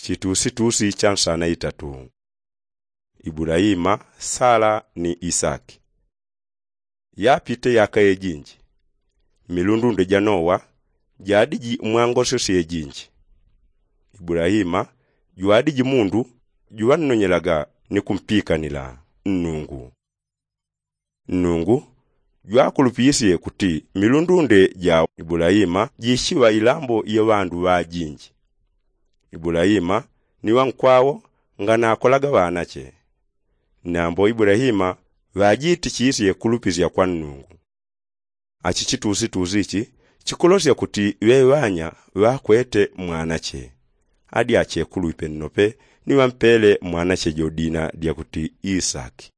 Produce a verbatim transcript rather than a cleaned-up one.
Chitusitusi cha nsana itatu. Ibulaima, sala ni isaki. Yapite yaka yejinji, milundunde ja nowa jadiji mwangosyo syejinji. Ibulaima jwadiji mundu juŵannonyelaga ni kumpikanila nnungu. Nnungu jwakulupisye kuti milundunde ja ibulaima jishiŵa ilambo ya ŵandu ŵajinji. Ibulaima ni ŵankwawo nganakolaga ŵanache. Nambo ibulaima ŵajitichisye kulupisya kwa nnungu. Achi chitusitusi ichi chikulosya kuti ŵeŵanya ŵakwete mwanache. Adi achekulwipe nnope ni ŵampele mwanache jodina dyakuti isaki.